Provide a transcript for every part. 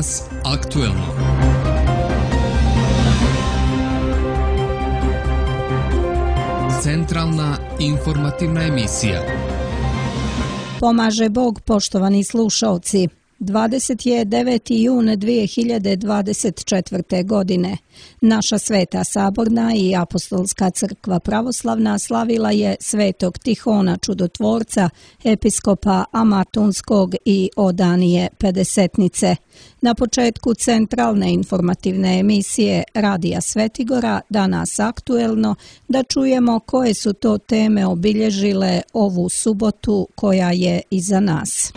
Danas aktuelno. Centralna informativna emisija. Pomaže Bog, poštovani slušalci. 29. jun 2024. godine. Naša Sveta Saborna i Apostolska crkva pravoslavna slavila je Svetog Tihona Čudotvorca, episkopa Amatunskog i Odanije Pedesetnice. Na početku centralne informativne emisije Radija Svetigora, Danas aktuelno, da čujemo koje su to teme obilježile ovu subotu koja je iza nas.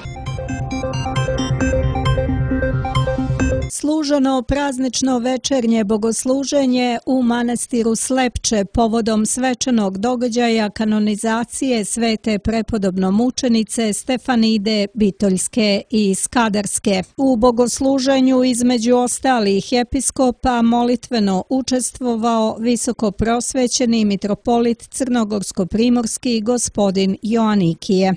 Služeno praznično večernje bogosluženje u manastiru Slepče povodom svečanog događaja kanonizacije svete prepodobnomučenice Stefanide Bitoljske i Skadarske. U bogosluženju između ostalih episkopa molitveno učestvovao visoko prosvećeni mitropolit Crnogorsko-primorski gospodin Joanikije.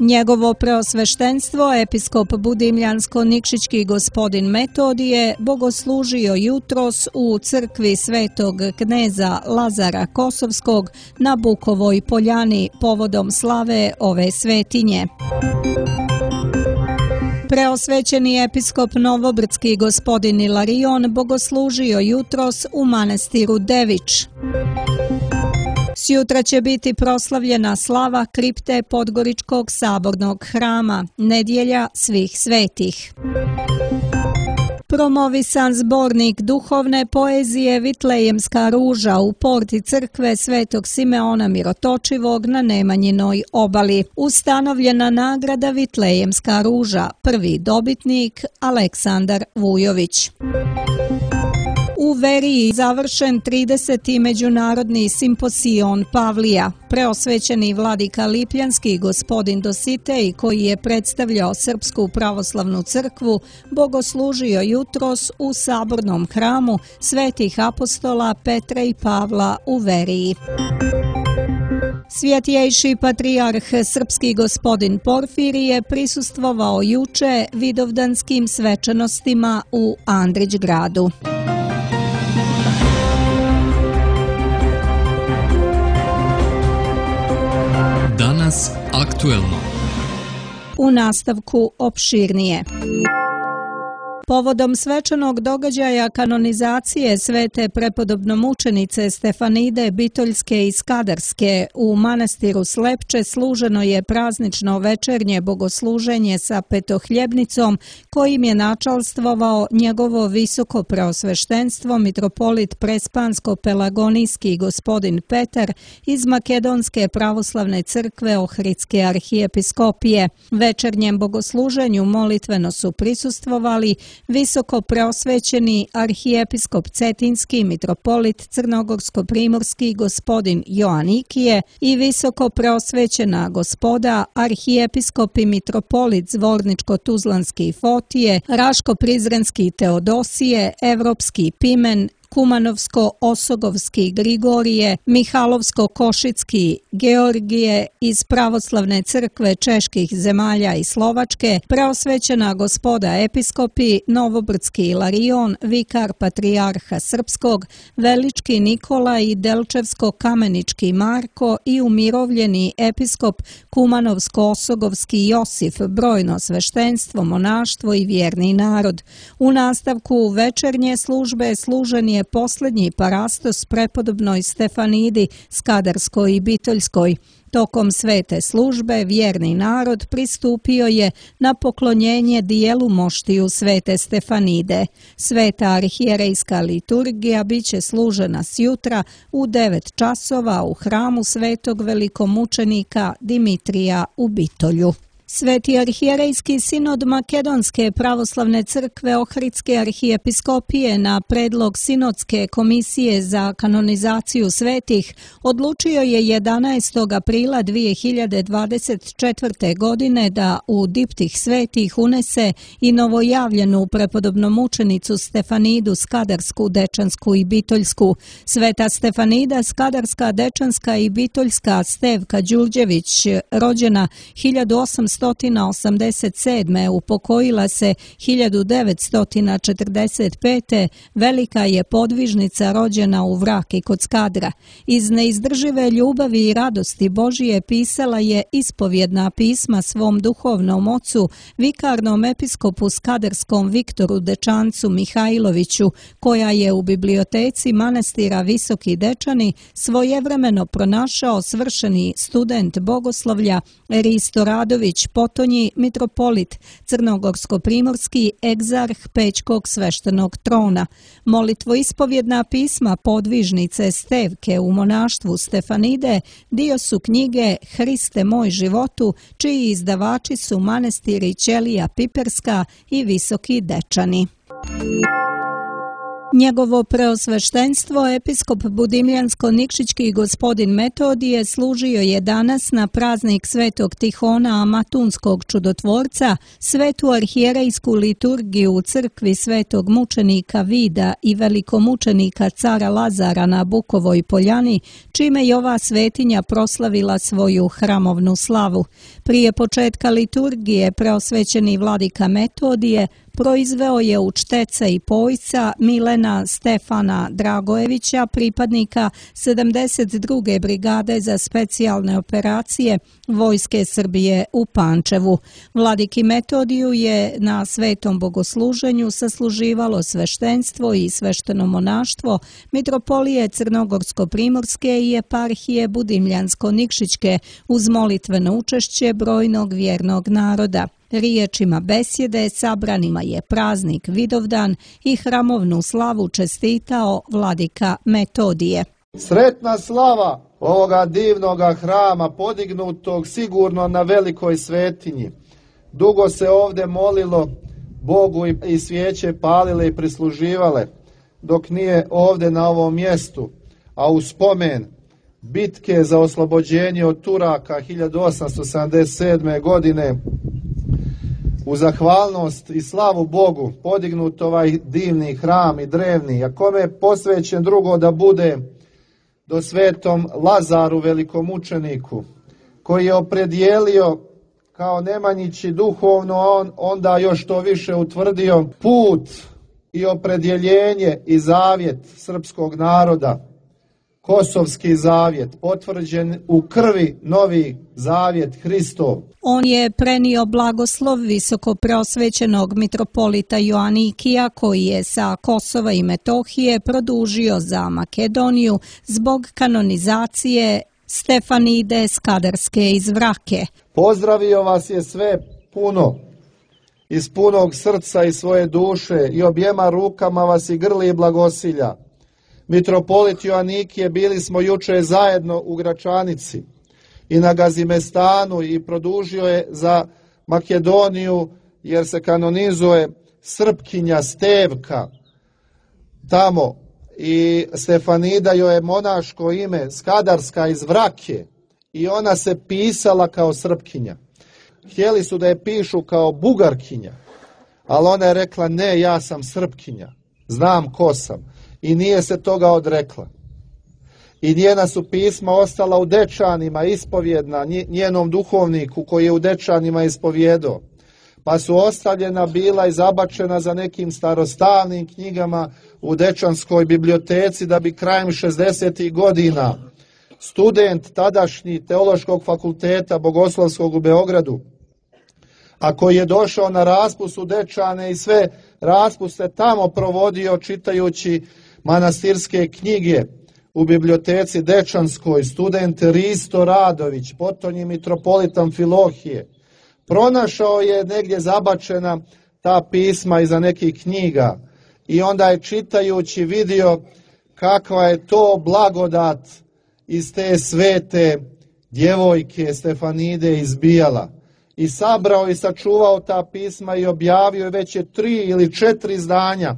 Njegovo preosveštenstvo, episkop Budimljansko-Nikšićki gospodin Metodije, bogoslužio jutros u crkvi svetog kneza Lazara Kosovskog na Bukovoj poljani povodom slave ove svetinje. Preosvećeni episkop Novobrdski gospodin Ilarion bogoslužio jutros u manastiru Devič. Sjutra će biti proslavljena slava kripte Podgoričkog sabornog hrama, nedjelja svih svetih. Promovisan zbornik duhovne poezije Vitlejemska ruža u porti crkve Svetog Simeona Mirotočivog na Nemanjinoj obali. Ustanovljena nagrada Vitlejemska ruža, prvi dobitnik Aleksandar Vujović. U Veriji završen 30. međunarodni simposion Pavlija. Preosvećeni vladika Lipljanski gospodin Dositej, koji je predstavljao Srpsku pravoslavnu crkvu, bogoslužio jutros u sabornom hramu svetih apostola Petra i Pavla u Veriji. Svjetjejši patrijarh srpski gospodin Porfirije prisustvovao juče vidovdanskim svečanostima u Andrićgradu. Danas aktuelno. U nastavku opširnije. Povodom svečanog događaja kanonizacije svete prepodobnomučenice Stefanide Bitoljske i Skadarske u manastiru Slepče služeno je praznično večernje bogosluženje sa petohljebnicom kojim je načalstvovao njegovo visoko preosveštenstvo mitropolit Prespansko-Pelagonijski gospodin Petar iz Makedonske pravoslavne crkve Ohridske arhijepiskopije. Večernjem bogosluženju molitveno su prisustvovali visoko preosvećeni arhijepiskop Cetinski mitropolit Crnogorsko-primorski gospodin Joanikije i visoko preosvećena gospoda arhijepiskop i mitropolit Zvorničko-Tuzlanski Fotije, Raško-Prizrenski Teodosije, Evropski Pimen, Kumanovsko-Osogovski Grigorije, Mihalovsko-Košicki Georgije iz pravoslavne crkve čeških zemalja i Slovačke, preosvećena gospoda episkopi Novobrdski Ilarion, vikar patrijarha srpskog, Velički Nikola i Delčevsko-Kamenički Marko i umirovljeni episkop Kumanovsko-Osogovski Josif, brojno sveštenstvo, monaštvo i vjerni narod. U nastavku večernje službe služen je posljednji parastos prepodobnoj Stefanidi Skadarskoj i Bitoljskoj. Tokom svete službe vjerni narod pristupio je na poklonjenje dijelu moštiju svete Stefanide. Sveta arhijerejska liturgija biće služena sjutra u 9 časova u hramu svetog velikomučenika Dimitrija u Bitolju. Sveti arhijerejski sinod Makedonske pravoslavne crkve Ohridske arhijepiskopije na predlog sinodske komisije za kanonizaciju svetih odlučio je 11. aprila 2024. godine da u diptih svetih unese i novojavljenu prepodobnomučenicu Stefanidu Skadarsku, Dečansku i Bitoljsku. Sveta Stefanida Skadarska, Dečanska i Bitoljska Stevka Đurđević, rođena 1800 1887. upokojila se 1945. velika je podvižnica rođena u Vraki kod Skadra. Iz neizdržive ljubavi i radosti Božije pisala je ispovjedna pisma svom duhovnom ocu, vikarnom episkopu skadarskom Viktoru Dečancu Mihajloviću, koja je u biblioteci manastira Visoki Dečani svojevremeno pronašao svršeni student bogoslovlja Risto Radović Potonji, mitropolit crnogorsko-primorski, egzarh Pećkog sveštenog trona. Molitvoispovjedna pisma podvižnice Stevke u monaštvu Stefanide dio su knjige Hriste moj životu, čiji izdavači su manastiri Ćelija Piperska i Visoki Dečani. Njegovo preosveštenstvo, episkop Budimljansko-Nikšićki gospodin Metodije, služio je danas na praznik Svetog Tihona Amatunskog čudotvorca, svetu arhijerejsku liturgiju u crkvi Svetog mučenika Vida i velikomučenika cara Lazara na Bukovoj poljani, čime je ova svetinja proslavila svoju hramovnu slavu. Prije početka liturgije preosvećeni vladika Metodije proizveo je učteca i pojca Milena Stefana Dragojevića, pripadnika 72. brigade za specijalne operacije Vojske Srbije u Pančevu. Vladiki Metodiju je na svetom bogosluženju sasluživalo sveštenstvo i svešteno monaštvo mitropolije Crnogorsko-primorske i eparhije Budimljansko-Nikšićke uz molitveno učešće brojnog vjernog naroda. Riječima besjede sabranima je praznik Vidovdan i hramovnu slavu čestitao vladika Metodije. Sretna slava ovoga divnoga hrama podignutog sigurno na velikoj svetinji. Dugo se ovdje molilo Bogu i svijeće palile i prisluživale, dok nije ovdje na ovom mjestu, a u spomen bitke za oslobođenje od Turaka 1877. godine, u zahvalnost i slavu Bogu podignut ovaj divni hram i drevni, a kome je posvećen drugo da bude do svetom Lazaru velikomučeniku, koji je opredijelio kao Nemanjići duhovno, onda još to više utvrdio put i opredjeljenje i zavjet srpskog naroda. Kosovski zavjet, potvrđen u krvi novi zavjet Hristov. On je prenio blagoslov visoko preosvećenog mitropolita Joanikija, koji je sa Kosova i Metohije produžio za Makedoniju zbog kanonizacije Stefanide Skadarske iz Vrake. Pozdravio vas je sve puno, iz punog srca i svoje duše, i objema rukama vas i grli i blagosilja. Mitropolit Joanikije, bili smo juče zajedno u Gračanici i na Gazimestanu i produžio je za Makedoniju jer se kanonizuje Srpkinja Stevka tamo i Stefanida joj je monaško ime, Skadarska iz Vrake, i ona se pisala kao Srpkinja. Htjeli su da je pišu kao Bugarkinja, ali ona je rekla ne, ja sam Srpkinja, znam ko sam. I nije se toga odrekla. I njena su pisma ostala u Dečanima, ispovjedna njenom duhovniku koji je u Dečanima ispovjedao. Pa su ostavljena bila i zabačena za nekim starostavnim knjigama u Dečanskoj biblioteci, da bi krajem 60. godina student tadašnji Teološkog fakulteta Bogoslovskog u Beogradu, a koji je došao na raspust u Dečane i sve raspuste tamo provodio čitajući manastirske knjige u biblioteci Dečanskoj, student Risto Radović, potonji mitropolit Amfilohije, pronašao je negdje zabačena ta pisma iza nekih knjiga i onda je čitajući vidio kakva je to blagodat iz te svete djevojke Stefanide izbijala. I sabrao i sačuvao ta pisma i objavio, već je 3 ili 4 izdanja.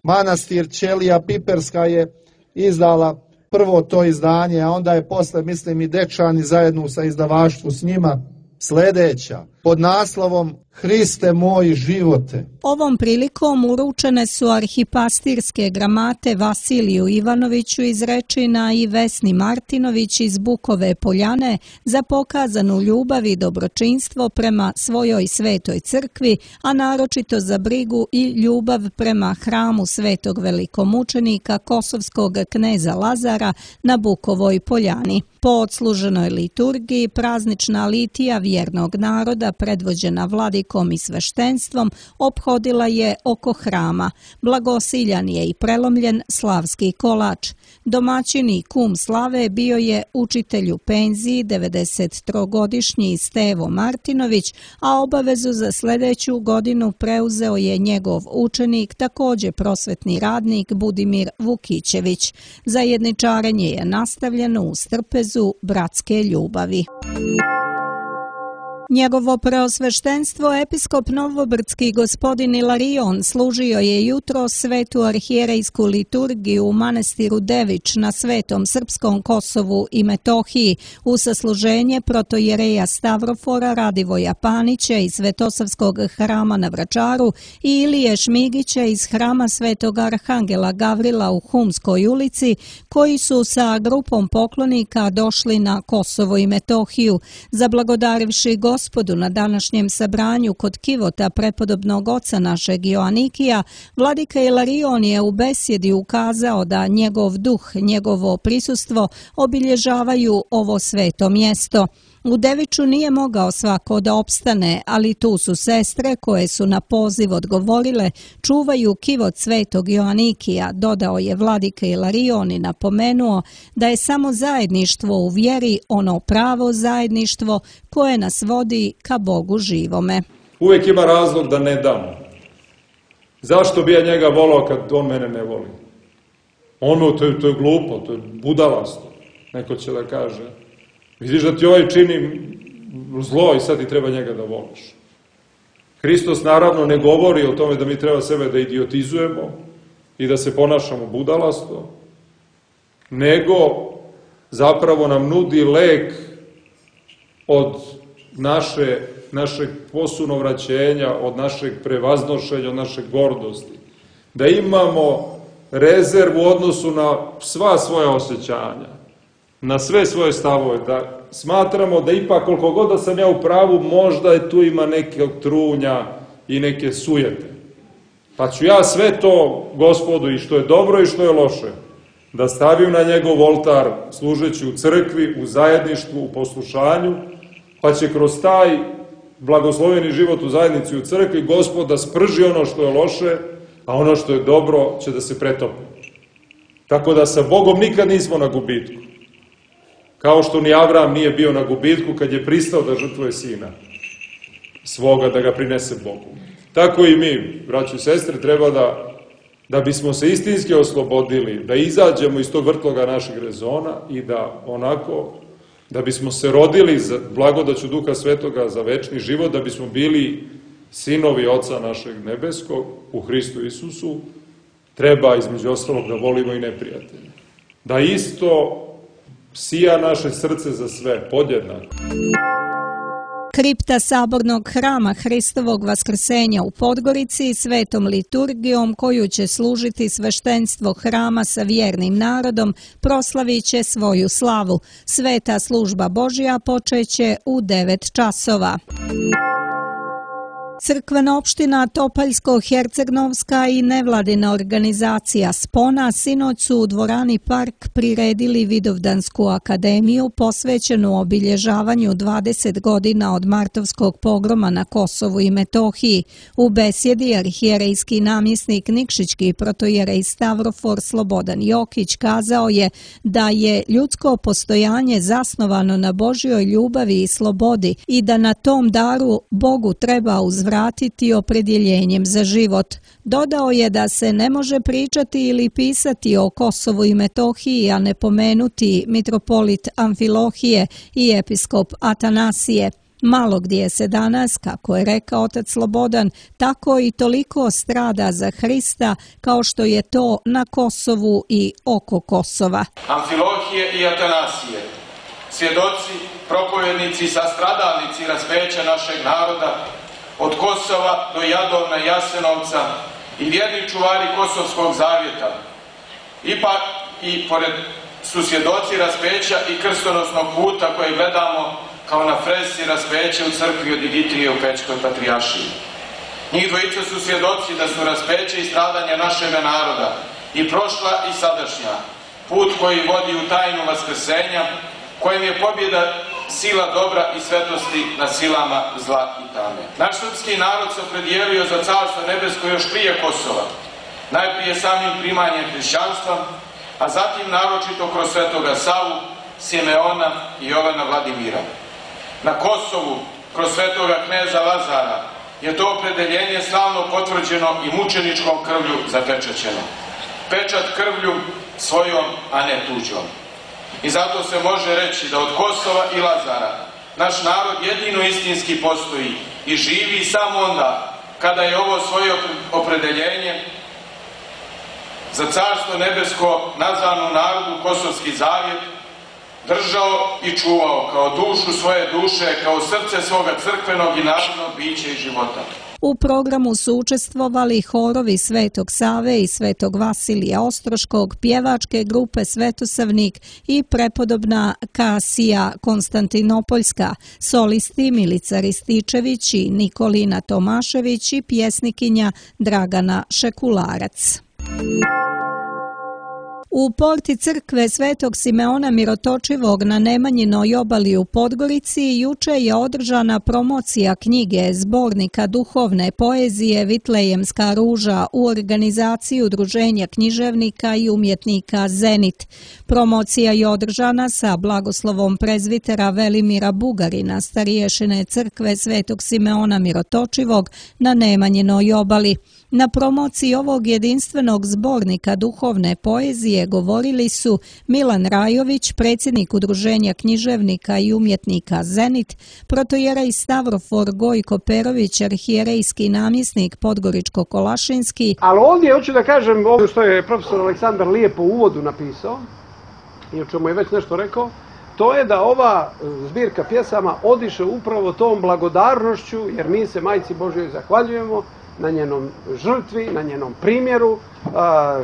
Manastir Ćelija Piperska je izdala prvo to izdanje, a onda je posle, mislim, i Dečani zajedno sa izdavaštvu s njima sljedeća. pod naslovom Hriste moj živote. Ovom prilikom uručene su arhipastirske gramate Vasiliju Ivanoviću iz Rečina i Vesni Martinović iz Bukove Poljane za pokazanu ljubav i dobročinstvo prema svojoj svetoj crkvi, a naročito za brigu i ljubav prema hramu svetog velikomučenika kosovskog kneza Lazara na Bukovoj Poljani. Po odsluženoj liturgiji praznična litija vjernog naroda predvođena vladikom i sveštenstvom ophodila je oko hrama. Blagosiljan je i prelomljen slavski kolač. Domaćin i kum slave bio je učitelj u penziji 93-godišnji Stevo Martinović, a obavezu za sljedeću godinu preuzeo je njegov učenik, također prosvetni radnik Budimir Vukićević. Zajedničarenje je nastavljeno u strpezu bratske ljubavi. Njegovo preosveštenstvo episkop novobrdski gospodin Ilarion služio je jutro svetu arhijerejsku liturgiju u manastiru Dević na Svetom Srpskom Kosovu i Metohiji u sasluženje protojereja Stavrofora Radivoja Panića iz Svetosavskog hrama na Vračaru i Ilije Šmigića iz hrama Svetog Arhangela Gavrila u Humskoj ulici, koji su sa grupom poklonika došli na Kosovo i Metohiju, zablagodarivši Gospodu na današnjem sabranju kod kivota prepodobnog oca našeg Joanikija, vladika Ilarion je u besjedi ukazao da njegov duh, njegovo prisustvo obilježavaju ovo sveto mjesto. U Deviću nije mogao svako da opstane, ali tu su sestre koje su na poziv odgovorile, čuvaju kivot svetog Joanikija, dodao je vladika Ilarion i napomenuo da je samo zajedništvo u vjeri ono pravo zajedništvo koje nas vodi ka Bogu živome. Uvijek ima razlog da ne damo. Zašto bi ja njega volao kad on mene ne voli? To je glupo, to je budalasto, neko će da kaže. Vidiš da ti ovaj čini zlo i sad ti treba njega da voliš. Hristos naravno ne govori o tome da mi treba sebe da idiotizujemo i da se ponašamo budalasto, nego zapravo nam nudi lek od našeg posunovraćenja, od našeg prevaznošenja, od naše gordosti. Da imamo rezervu u odnosu na sva svoja osjećanja, na sve svoje stavove, da smatramo da ipak koliko god da sam ja u pravu, možda je tu ima neke trunja i neke sujete. Pa ću ja sve to Gospodu i što je dobro i što je loše da stavim na njegov oltar služeći u crkvi, u zajedništvu, u poslušanju, pa će kroz taj blagosloveni život u zajednici u crkvi Gospod da sprži ono što je loše, a ono što je dobro će da se pretopi. Tako da sa Bogom nikad nismo na gubitku. Kao što ni Avram nije bio na gubitku kad je pristao da žrtvuje sina svoga, da ga prinese Bogu. Tako i mi, braći i sestre, treba da bismo se istinski oslobodili, da izađemo iz tog vrtloga naših rezona i da bismo se rodili za blagodaću Duha Svetoga za večni život, da bismo bili sinovi Oca našeg nebeskog u Hristu Isusu, treba između ostalog da volimo i neprijatelje. Da isto sija naše srce za sve, podjednako. Kripta sabornog hrama Hristovog vaskrsenja u Podgorici svetom liturgijom koju će služiti sveštenstvo hrama sa vjernim narodom proslavit će svoju slavu. Sveta služba Božja počeće u 9 časova. Crkvena opština Topaljsko-Hercegnovska i nevladina organizacija Spona sinoć su u dvorani Park priredili Vidovdansku akademiju posvećenu obilježavanju 20 godina od martovskog pogroma na Kosovu i Metohiji. U besjedi arhijerejski namjesnik Nikšićki protojerej Stavrofor Slobodan Jokić kazao je da je ljudsko postojanje zasnovano na Božjoj ljubavi i slobodi i da na tom daru Bogu treba uzvratiti opredjeljenjem za život. Dodao je da se ne može pričati ili pisati o Kosovu i Metohiji, a ne pomenuti mitropolit Amfilohije i episkop Atanasije. Malo gdje se danas, kako je rekao otac Slobodan, tako i toliko strada za Hrista kao što je to na Kosovu i oko Kosova. Amfilohije i Atanasije, svjedoci, propovjednici i sastradalnici raspeća našeg naroda, od Kosova do Jadovna i Jasenovca i vjerni čuvari Kosovskog zavjeta. Ipak i pored su svjedoci raspeća i krstonosnog puta koje gledamo kao na fresi raspeća u crkvi od Diditrije u Pećkoj patrijaršiji. Njih dvojica su svjedoci da su raspeće i stradanja našega naroda, i prošla i sadašnja, put koji vodi u tajnu vaskrsenja, kojem je pobjeda sila dobra i svetosti nad silama zla i tame. Naš srpski narod se opredijelio za Carstvo nebesko još prije Kosova, najprije samim primanjem hrišćanstva, a zatim naročito kroz svetoga Savu, Simeona i Jovana Vladimira. Na Kosovu, kroz svetoga kneza Lazara, je to opredeljenje slavno potvrđeno i mučeničkom krvlju zapečaćeno. Pečat krvlju svojom, a ne tuđom. I zato se može reći da od Kosova i Lazara naš narod jedino istinski postoji i živi samo onda kada je ovo svoje opredeljenje za Carstvo nebesko nazvano narodu Kosovski zavjet držao i čuvao kao dušu svoje duše, kao srce svoga crkvenog i narodnog bića i života. U programu su učestvovali horovi Svetog Save i Svetog Vasilija Ostroškog, pjevačke grupe Svetosavnik i prepodobna Kasija Konstantinopoljska, solisti Milica Rističević i Nikolina Tomašević i pjesnikinja Dragana Šekularac. U porti crkve Svetog Simeona Mirotočivog na Nemanjinoj obali u Podgorici juče je održana promocija knjige zbornika duhovne poezije Vitlejemska ruža u organizaciji Udruženja književnika i umjetnika Zenit. Promocija je održana sa blagoslovom prezvitera Velimira Bugarina, stariješine crkve Svetog Simeona Mirotočivog na Nemanjinoj obali. Na promociji ovog jedinstvenog zbornika duhovne poezije govorili su Milan Rajović, predsjednik Udruženja književnika i umjetnika Zenit, protojerej Stavrofor Gojko Perović, arhijerejski namjesnik Podgoričko-Kolašinski. Ali ovdje hoću da kažem ovo što je profesor Aleksandar lijepo u uvodu napisao i o čemu je već nešto rekao, to je da ova zbirka pjesama odiše upravo tom blagodarnošću, jer mi se Majci Božjoj zahvaljujemo na njenom žrtvi, na njenom primjeru,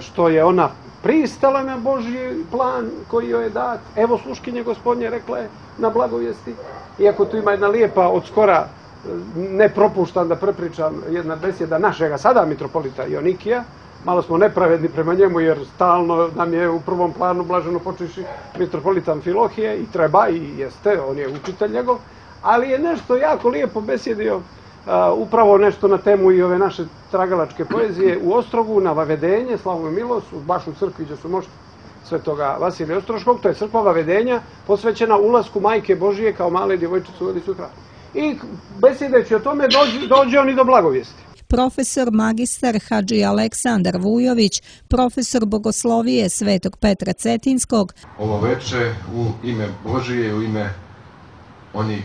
što je ona pristala na Božji plan koji joj je dat. Evo sluškinje Gospodnje, rekla je na blagovijesti. Iako tu ima jedna lijepa, od skora ne propuštam da prepričam, jedna besjeda našega sada mitropolita Jonikija. Malo smo nepravedni prema njemu jer stalno nam je u prvom planu blaženo počeši mitropolita Amfilohije i treba i jeste, on je učitelj njegov, ali je nešto jako lijepo besjedio, upravo nešto na temu i ove naše tragalačke poezije u Ostrogu, na Vavedenje, Slavu i milost, baš u crkvi gdje su mošti svetoga Vasilija Ostroškog, to je crkva Vavedenja, posvećena ulasku Majke Božije kao male djevojčice u Velicu hram. I besjedeći o tome dođe on i do blagovijesti. Profesor magistar Hadži Aleksandar Vujović, profesor bogoslovije Svetog Petra Cetinskog. Ovo veče u ime Božije, u ime onih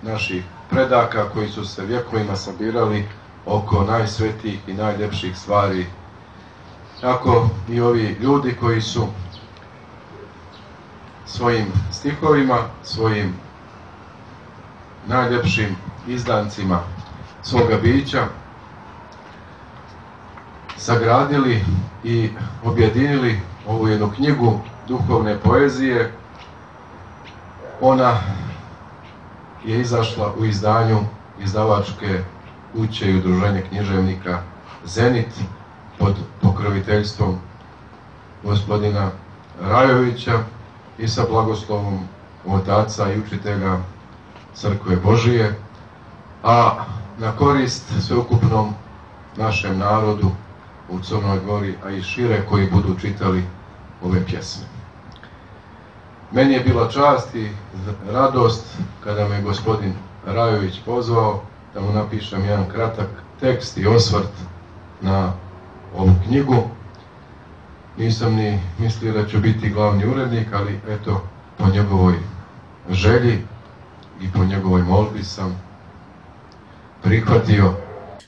naših predaka koji su se vjekovima sabirali oko najsvetijih i najljepših stvari. Tako i ovi ljudi koji su svojim stihovima, svojim najljepšim izdancima svoga bića sagradili i objedinili ovu jednu knjigu duhovne poezije. Ona je izašla u izdanju izdavačke kuće i Udruženja književnika Zenit pod pokroviteljstvom gospodina Rajovića i sa blagoslovom otaca i učitelja Crkve Božije, a na korist sveukupnom našem narodu u Crnoj Gori, a i šire koji budu čitali ove pjesme. Meni je bila čast i radost kada me gospodin Rajović pozvao da mu napišem jedan kratak tekst i osvrt na ovu knjigu. Nisam ni mislio da ću biti glavni urednik, ali eto, po njegovoj želji i po njegovoj molbi sam prihvatio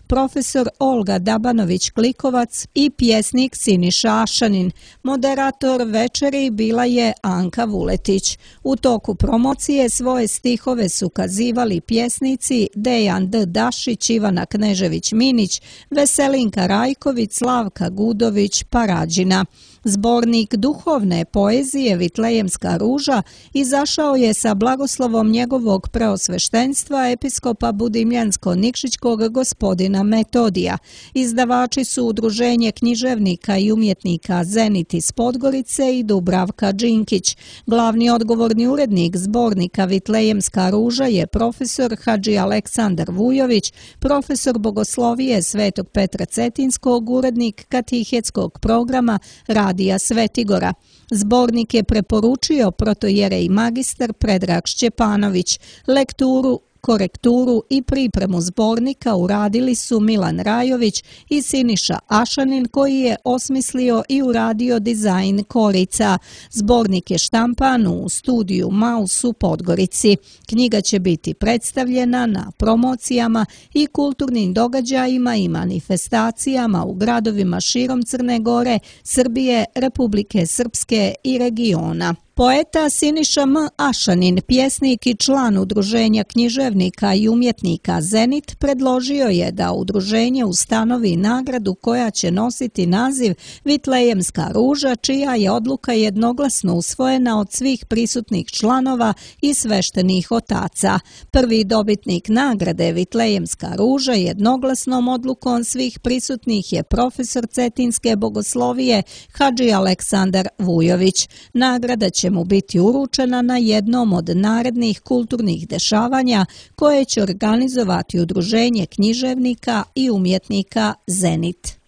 profesor Olga Dabanović-Klikovac i pjesnik Siniša Ašanin. Moderator večeri bila je Anka Vuletić. U toku promocije svoje stihove su kazivali pjesnici Dejan D. Dašić, Ivana Knežević-Minić, Veselinka Rajković, Slavka Gudović, Parađina. Zbornik duhovne poezije Vitlejemska ruža izašao je sa blagoslovom njegovog preosveštenstva episkopa Budimljansko-Nikšićkog gospodina Metodija. Izdavači su Udruženje književnika i umjetnika Zenit iz Podgorice i Dubravka Džinkić. Glavni odgovorni urednik zbornika Vitlejemska ruža je profesor Hadži Aleksandar Vujović, profesor bogoslovije Svetog Petra Cetinskog, urednik katehetskog programa Radija Svetigora. Zbornik je preporučio protojerej magistar Predrag Šćepanović. Lekturu, korekturu i pripremu zbornika uradili su Milan Rajović i Siniša Ašanin, koji je osmislio i uradio dizajn korica. Zbornik je štampan u studiju Maus u Podgorici. Knjiga će biti predstavljena na promocijama i kulturnim događajima i manifestacijama u gradovima širom Crne Gore, Srbije, Republike Srpske i regiona. Poeta Siniša M. Ašanin, pjesnik i član Udruženja književnika i umjetnika Zenit, predložio je da udruženje ustanovi nagradu koja će nositi naziv Vitlejemska ruža, čija je odluka jednoglasno usvojena od svih prisutnih članova i sveštenih otaca. Prvi dobitnik nagrade Vitlejemska ruža jednoglasnom odlukom svih prisutnih je profesor Cetinske bogoslovije Hadži Aleksandar Vujović. Nagrada će mu biti uručena na jednom od narednih kulturnih dešavanja koje će organizovati Udruženje književnika i umjetnika Zenit.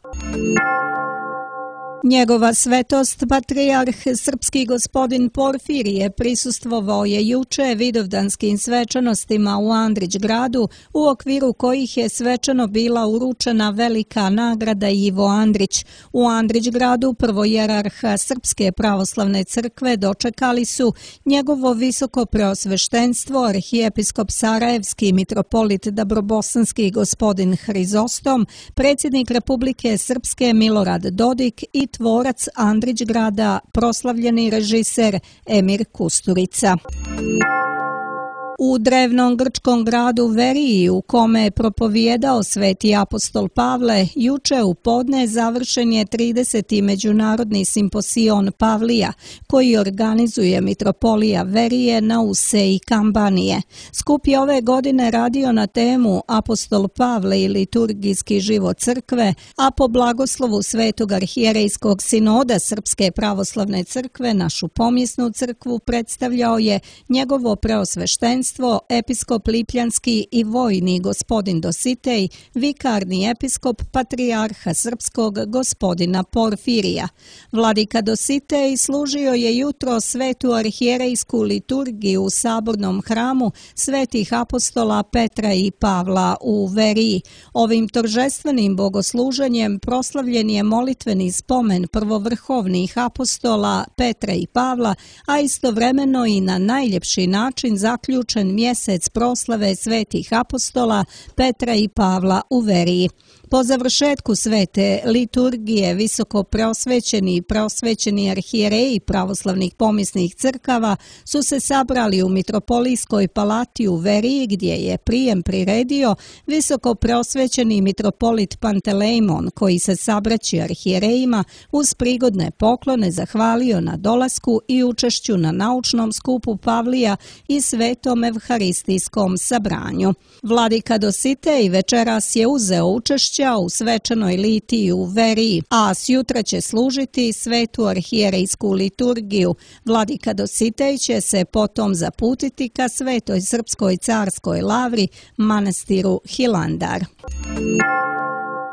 Njegova svetost, patrijarh srpski gospodin Porfirije, prisustvovao je juče vidovdanskim svečanostima u Andrić-gradu, u okviru kojih je svečano bila uručena velika nagrada Ivo Andrić. U Andrić-gradu prvojerarha Srpske pravoslavne crkve dočekali su njegovo visoko preosveštenstvo, arhijepiskop Sarajevski mitropolit Dabrobosanski gospodin Hrizostom, predsjednik Republike Srpske Milorad Dodik i tvorac Andrić-grada, proslavljeni režiser Emir Kusturica. U drevnom grčkom gradu Veriji, u kome je propovijedao sveti apostol Pavle, juče u podne završen je 30. međunarodni simposion Pavlija, koji organizuje mitropolija Verije, Nause i Kambanije. Skup je ove godine radio na temu Apostol Pavle i liturgijski život crkve, a po blagoslovu Svetog arhijerejskog sinoda Srpske pravoslavne crkve našu pomjesnu crkvu predstavljao je njegovo preosveštenstvo episkop Lipljanski i vojni gospodin Dositej, vikarni episkop patrijarha srpskog gospodina Porfirija. Vladika Dositej služio je jutro svetu arhijerejsku liturgiju u sabornom hramu svetih apostola Petra i Pavla u Veriji. Ovim торжественim bogosluženjem proslavljen je molitveni spomen prvovrhovnih apostola Petra i Pavla, a istovremeno i na najljepši način zaključen mjesec proslave svetih apostola Petra i Pavla u Veriji. Po završetku svete liturgije visoko preosvećeni i preosvećeni arhijereji pravoslavnih pomjesnih crkava su se sabrali u mitropolijskoj palati u Veriji, gdje je prijem priredio visoko preosvećeni mitropolit Pantelejmon, koji se sabraći arhijerejima uz prigodne poklone zahvalio na dolasku i učešću na naučnom skupu Pavlija i svetom evharistijskom sabranju. Vladika Dositej večeras je uzeo učešće u svečanoj litiji u Veriji, a sjutra će služiti svetu arhijerejsku liturgiju. Vladika Dositej će se potom zaputiti ka svetoj srpskoj carskoj lavri, manastiru Hilandar.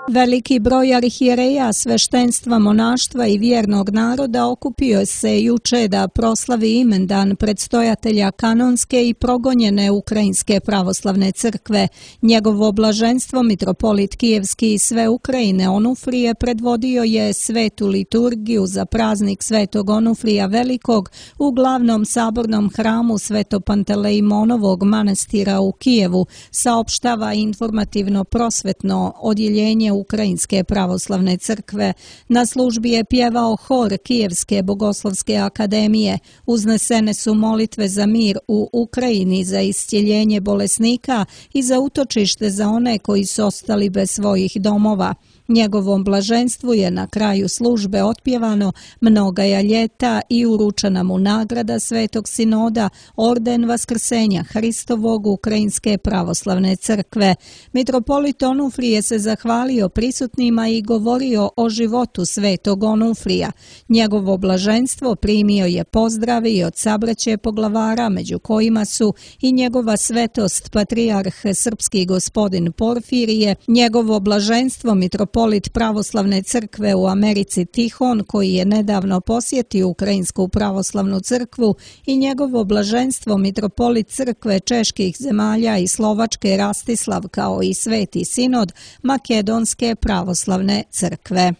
Veliki broj arhijereja, sveštenstva, monaštva i vjernog naroda okupio se juče da proslavi imendan predstojatelja kanonske i progonjene Ukrajinske pravoslavne crkve. Njegovo blaženstvo mitropolit Kijevski i sve Ukrajine Onufrije predvodio je svetu liturgiju za praznik Svetog Onufrija Velikog u glavnom sabornom hramu Svetopantelejmonovog manastira u Kijevu, saopštava informativno-prosvetno odjeljenje Ukrajinske pravoslavne crkve. Na službi je pjevao hor Kijevske bogoslovske akademije. Uznesene su molitve za mir u Ukrajini, za iscjeljenje bolesnika i za utočište za one koji su ostali bez svojih domova. Njegovom blaženstvu je na kraju službe otpjevano Mnogaja ljeta i uručena mu nagrada Svetog Sinoda, orden Vaskrsenja Hristovog Ukrajinske pravoslavne crkve. Mitropolit Onufrije se zahvalio prisutnima i govorio o životu Svetog Onufrija. Njegovo blaženstvo primio je pozdrave i od sabraće poglavara, među kojima su i njegova svetost patrijarh srpski gospodin Porfirije, njegovo blaženstvo mitropolit pravoslavne crkve u Americi Tihon, koji je nedavno posjetio Ukrajinsku pravoslavnu crkvu, i njegovo blaženstvo mitropolit crkve čeških zemalja i Slovačke Rastislav, kao i Sveti Sinod Makedonske pravoslavne crkve.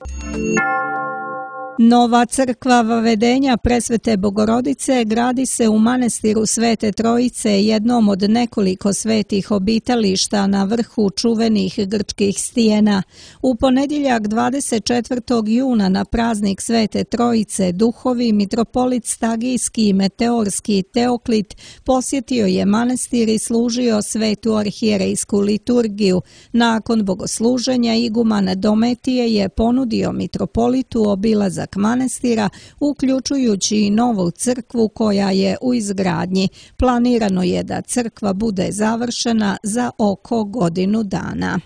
Nova crkva Vavedenja Presvete Bogorodice gradi se u manastiru Svete Trojice, jednom od nekoliko svetih obitališta na vrhu čuvenih grčkih stijena. U ponedjeljak 24. juna na praznik Svete Trojice duhovi mitropolit Stagijski i Meteorski Teoklit posjetio je manastir i služio svetu arhijerejsku liturgiju. Nakon bogosluženja iguman Dometije je ponudio mitropolitu obilazak manastira, uključujući i novu crkvu koja je u izgradnji. Planirano je da crkva bude završena za oko godinu dana.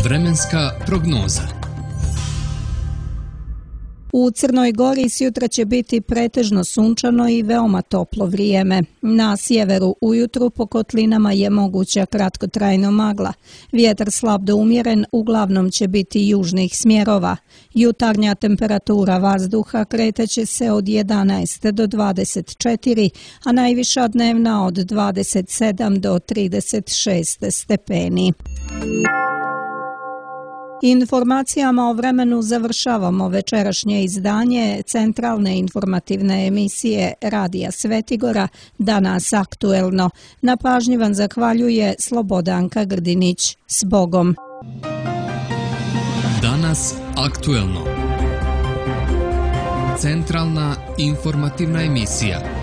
Vremenska prognoza. U Crnoj Gori sjutra će biti pretežno sunčano i veoma toplo vrijeme. Na sjeveru ujutru po kotlinama je moguća kratkotrajno magla. Vjetar slab do umjeren uglavnom će biti južnih smjerova. Jutarnja temperatura vazduha kretaće se od 11 do 24, a najviša dnevna od 27 do 36 stepeni. Informacijama o vremenu završavamo večerašnje izdanje centralne informativne emisije Radija Svetigora Danas aktuelno. Na pažnji vam zahvaljuje Slobodanka Grdinić. S Bogom! Danas aktuelno. Centralna informativna emisija.